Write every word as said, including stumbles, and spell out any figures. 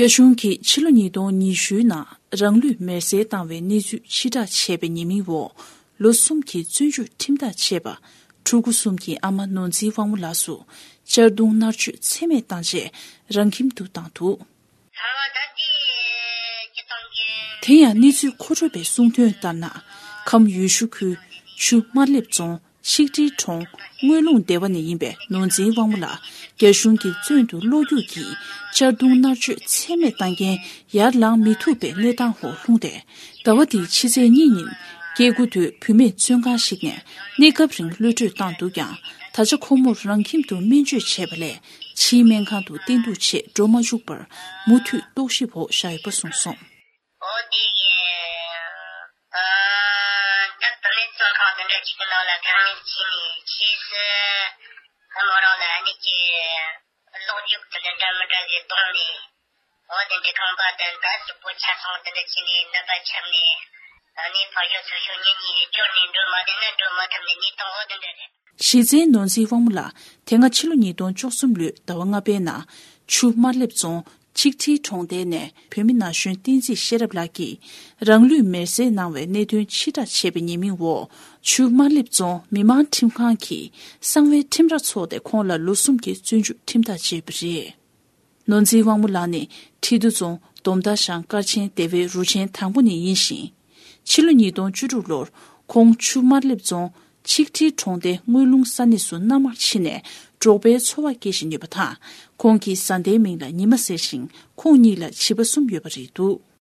རྒྱ་གཞུང་གིས་ཕྱི་ལོ་ཉིས་སྟོང་ཉི་ཤུའི་ནང་རང་ལུས་མེར་སྲེག་བཏང་བའི་གནས་ཚུལ་ཕྱིར་བསྒྲགས་བྱས་པའི་ཉེས་མིང་འོག་ལོ་གསུམ་གྱི་བཙོན་འཇུག་ཁྲིམས་ཐག་བཅད་པ། ཕྲུ་གུ་གསུམ་གྱི་ཨ་མ་ནོར་འཛིན་དབང་མོ་ལགས་སུ་གཅར་རྡུང་མནར་གཅོད་ཚད་མེད་བཏང་རྗེས་རང་ཁྱིམ་དུ་བཏང་འདུག། དེ་ཡང་གནས་ཚུལ་མཁོ་སྤྲོད་པའི་གསུང་དོན་ལྟར་ན། ཁམས་ཡུལ་ཤུལ་ཁུལ་ཆུ་དམར་ལེབ་རྫོང་ཆིག་ཁྲིའི་གྲོང་དངོས་ལུང་སྡེ་བ་ནས་ཡིན་པའི་ནོར་འཛིན་དབང་མོ་ལགས་རྒྱ་གཞུང་གིས་བཙོན་དུ་གློག་རྒྱུག་གིས་གཅར་རྡུང་མནར་གཅོད་ཚད་མེད་བཏང་རྐྱེན་ཡར་ལངས་མི་ཐུབ་པའི་གནས་སྟངས་འོག་ལྷུང་སྟེ། ཟླ་བ་འདིའི་ཕྱི་ཚེས་གཉིས་ཉིན་སྐྱེ་དགུ་དོད་བུད་མེད་བཙོན་ཁང་ཞིག་ནས་གནས་སྐབས་རིང་གློད་བཀྲོལ་བཏང་འདུག་ཀྱང་། ད་ཆ་ཁོ་མོར་རང་ཁྱིམ་དུ་སྨན་བཅོས་བྱས་པ་ལས་ཕྱིའི་སྨན་ཁང་དུ་བསྟེན་གཏུགས་ཆེད་འགྲོ་མ་བཅུག་པར་མུ་མཐུད་རྟོག་ཞིབ་འོག་བཞག་ཡོད་པ་གསུངས་སོང་། འོ་དེ་གི་ཨ། ད་བུད་མེད་བཙོན་ཁང་དེ་འདྲ་ཅིག་གི་ནང་ལ་ཁ་ངན་བྱས་ནས་ཕྱིས་སུ་ཁོ་མོ་རང་ལ་ཨ་ནི་ཀྱི་གློག་རྒྱུག་དེ་འདྲ་འདྲ་མི་འདྲ་ཞིག་བརྡུངས་ནས། འོ་དེ་འདྲའི་ཁང་པ་དེ་འདྲ་གཅིག་པོ་ཆ་ཚང་དེ་འདྲ་བྱས་ནས་ནད་པ་ཆགས་ནས། ཨ་ནི་ཕར་ཞོག་ཚུར་ཞོག་ཉིན་གཉིས་རེ་སྐྱོར་ནས་འགྲོ་མ་བདེ་ན་འགྲོ་མ་ཐུབ་ནས་གནས་སྟངས་འོ་དེ་འདྲ་རེད། གཞི་རྩའི་ནོར་འཛིན་དབང་མོ་ལགས་དེ་སྔ་ཕྱི་ལོ་ཉིས་སྟོང་བཅུ་གསུམ་ལོའི་ཟླ་བ་ལྔ་པའི་ནང་ཆུ་དམར་ལེབ་རྫོང་ཆིག་ཁྲིའི་གྲོང་རྡལ་ནས་བོད་མི་ན་གཞོན་བསྟན་འཛིན་ཤེས་རབ་ལགས་ཀྱིས་རང་ལུས་མེར་སྲེག་གནང་བའི་གནད་དོན་ཕྱིར་བསྒྲགས་བྱས་པའི་ཉེས་མིང་འོག་ཆུ་དམར་ལེབ་རྫོང་མི་དམངས་ཁྲིམས་ཁང་གིས་གསང་བའི་ཁྲིམས་ར་འཚོགས་ཏེ་ཁོང་ལ་ལོ་གསུམ་གྱི་བཙོན་འཇུག་ཁྲིམས་ཐག་བཅད་པ་རེད། ནོར་འཛིན་དབང་མོ་ལགས་ནི་ཁྲི་འདུ་རྫོང་སྡོམ་མདའ་ཤང་སྐར་ཆེན་སྡེ་བའི་རུ་ཆེན་དང་པོ་ནས་ཡིན་ཞིང་། ཕྱི་ལོ་ཉིས་སྟོང་བཅུ་དྲུག་ལོར་ཁོང་ཆུ་དམར་ལེབ་རྫོང་ཆིག་ཁྲིའི་གྲོང་སྡེ་དངུལ་ལུང་ས་གནས་སུ་མནའ་མར་ཕྱིན་ནས་འབྲོག་པའི་འཚོ་བ་སྐྱེལ་བཞིན་ཡོད་པ་དང་། ཁོང་གི་བཟའ་ཟླའི་མིང་ལ་ཉི་མ་ཟེར་ཞིང་། ཁོང་གཉིས་ལ་བྱིས་པ་གསུམ་ཡོད་པ་རེད་འདུག།